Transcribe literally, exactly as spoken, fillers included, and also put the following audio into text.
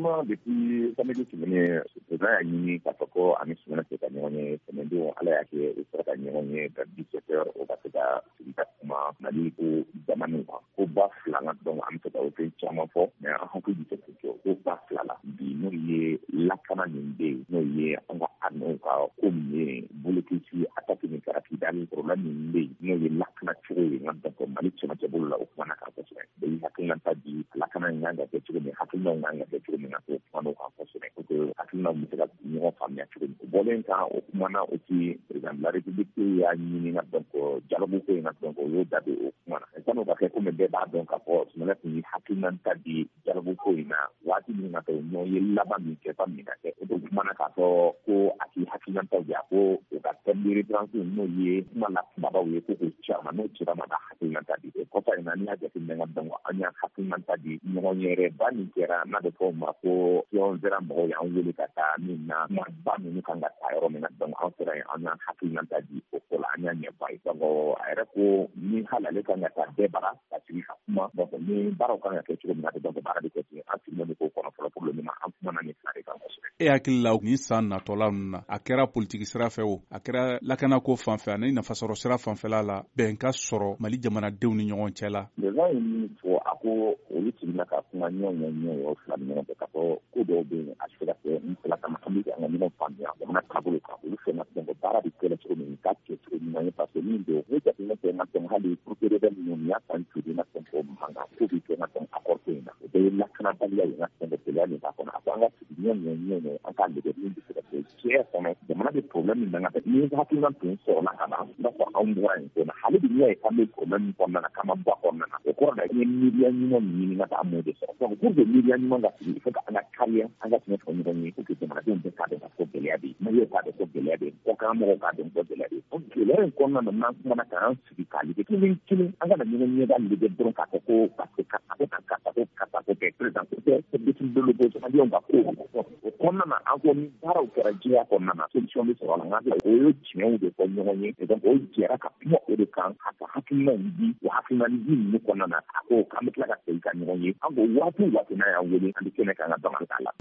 Effectivement, depuis samedi tɛmɛnen, président y'a ɲini k'a fɔ ko ani Sumana tɛ ka ɲɔgɔn ye tɛmɛndenw. Ala y'a kɛ u sera ka ɲɔgɔn ye vers dix-sept heures, o ka se ka sigi ka kuma Mali ko jamanaw kan. Ko ba fila na, donc an bɛ se ka o fɛn caman fɔ, mais an hakili bɛ se k'o jɔ ko ba fila la bi, n'o ye lakana min bɛ yen, n'o ye an ka armée ka ko min ye blocus attaque min kɛra Kidali, problème min bɛ yen, n'o ye lakana cogo ye. Nka donc Mali cɛmancɛ bolo la, o kumana kan kosɛbɛ. Bɛɛ y'i hakilinata di, lakana in kan ka kɛ cogo min, hakilinaw kan ka kɛ cogo min na, k'o kumana o kan kosɛbɛ pour que hakilinaw bɛ se ka ɲɔgɔn faamuya cogo min. O bɔlen kan, o kumana aussi, président de la République y'a ɲini ka donc dialogue ko in na, donc o y'o da don o kuma na. San'o ka kɛ, komi bɛɛ b'a dɔn k'a fɔ Sumana tun ye hakilinata di dialogue ko in na waati min na, ɲɔgɔn ye laban min kɛ fa min ka kɛ, o de kumana k'a fɔ ko a k'i hakilinataw di, a ko o ka thème de référence, n'o ye kuma la kumabaw ye, ko k'o ci a ma. N'o cira ma, ka hakilinata di. O kɔfɛ in na, n'i y'a jateminɛ ka donc an y'a hakilinata di ɲɔgɔn yɛrɛ ba min kɛra, n'a bɛ fɔ o ma ko Sion sera, mɔgɔw y'an wele ka taa min na, kumaba ninnu kan ka taa yɔrɔ min na. Donc an sera yen, an y'an hakilinata di o ko la, an y'a ɲɛfɔ a ye. Donc a yɛrɛ ko ni hali ale kan ka taa bɛɛ bara ka sigi ka kuma, donc ni baaraw kan ka kɛ cogo min na, donc baara bɛ kɛ ten. An sigilen bɛ k'o kɔnɔ fɔlɔ. Pour le moment, an kumana nin fila de kan kosɛbɛ. E hakili la, nin san natɔla ninnu na, a kɛra politiki sira fɛ o, a kɛra lakanako fan fɛ ani nafasɔrɔ sira fanfɛla la, bɛn ka sɔrɔ Mali jamanadenw ni ɲɔgɔn cɛ la? Président ye min fɔ, a ko olu sigina ka kuma ɲɔgɔn ye ɲɔgɔn ye o fila ni ɲɔgɔn cɛ, k'a fɔ ko dɔw bɛ yen, a tɛ se ka kɛ n fila kama, an bɛ an ka ɲɔgɔn faamuya jamana taabolo kan. Olu fɛn na, donc baara bɛ kɛ cogo min k'a kɛ cogo ɲuman ye, parce que min don, ni jateminɛ kɛ n ka donc hali procédure minnu nin y'a san joli na, donc mankan ko bɛ kɛ n ka donc accord ko in na, o bɛɛ ye lakanabaliya ye. N ka donc gɛlɛya min b'a kɔnɔ, a ko an ka sigi ɲɔgɔn ye ɲɔgɔn ye, an k'a lajɛ min bɛ se ka kɛ diɲɛ kɔnɔ, jamana bɛ problème min na. Ni hakilina tun sɔrɔla ka ban, i b'a fɔ anw bɔra yen ko na, hali bi n'i y'a ye k'an bɛ problème min kɔnɔna na, k'an ma bɔ a kɔnɔna na, o kɔrɔ la i ye miiriya ɲuman min ɲini ka taa, an m'o de sɔrɔ. Donc pour que miiriya ɲuman ka sigi, il faut que an ka kariya, an ka tiɲɛ fɔ ɲɔgɔn ye, pour que jamanadenw bɛɛ k'a dɔn k'a fɔ gɛlɛya bɛ yen, maliyɛnw k'a dɔn ko gɛlɛya bɛ yen, kɔkan mɔgɔw k'a dɔn ko gɛlɛya bɛ yen. Donc gɛlɛya in kɔnɔna na, n'an kumana k'an sigi k'a lajɛ kelen kelen, an kana ɲɔgɔn ɲɛda lajɛ dɔrɔn k'a fɔ ko parce que karisa ko tan, karisa ko karisa ko kɛ président ko tɛ, décision de l'opposition, maliyɛnw ka ko o kɔnɔna na, an ko ni baaraw kɛra jɛya kɔnɔna na, solution bɛ sɔrɔ a la. Nka o ye tiɲɛw de fɔ ɲɔgɔn ye, donc o jɛra ka kuma o de kan, ka ka hakilinaw di. O hakilina di ninnu kɔnɔna na, a ko k'an bɛ tila ka segin ka ɲɔgɔn ye. An ko waati o waati n'a y'an wele, an bɛ kɛnɛ kan ka dɔn k'a la.